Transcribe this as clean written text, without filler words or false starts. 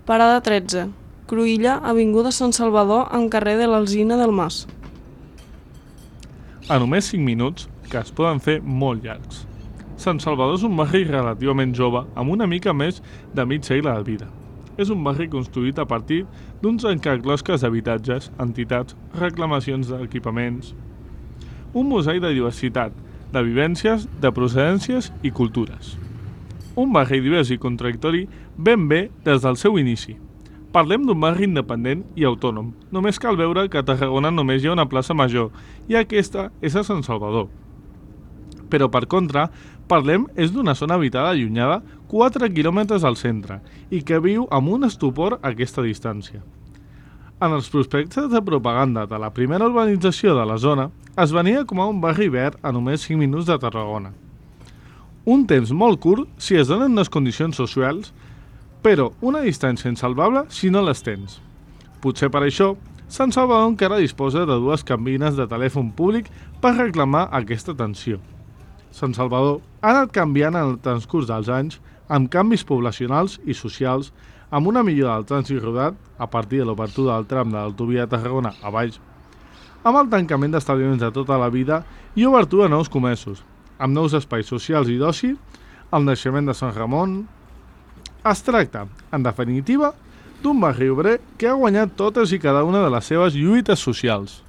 Parada 13. Cruïlla, avinguda Sant Salvador, amb carrer de l'Alzina del Mas. A només 5 minuts, que es poden fer molt llargs. Sant Salvador és un barri relativament jove, amb una mica més de mig segle de vida. És un barri construït a partir d'uns encaclosques d'habitatges, entitats, reclamacions d'equipaments. Un mosaic de diversitat, de vivències, de procedències i cultures. Un barri divers i contradictori ben bé des del seu inici. Parlem d'un barri independent i autònom. Només cal veure que a Tarragona només hi ha una plaça major i aquesta és a Sant Salvador. Però per contra, parlem és d'una zona habitada allunyada 4 quilòmetres al centre i que viu amb un estupor a aquesta distància. En els prospectes de propaganda de la primera urbanització de la zona es venia com a un barri verd a només 5 minuts de Tarragona. Un temps molt curt si es donen les condicions socials, però una distància insalvable si no les tens. Potser per això, Sant Salvador encara disposa de 2 cabines de telèfon públic per reclamar aquesta atenció. Sant Salvador ha anat canviant en el transcurs dels anys amb canvis poblacionals i socials, amb una millora del trànsit rodat a partir de l'obertura del tram de l'autovia de Tarragona a baix, amb el tancament d'establiments de tota la vida i obertura a nous comerços, amb nous espais socials i d'oci, el naixement de Sant Ramon. Es tracta, en definitiva, d'un barri obrer que ha guanyat totes i cada una de les seves lluites socials.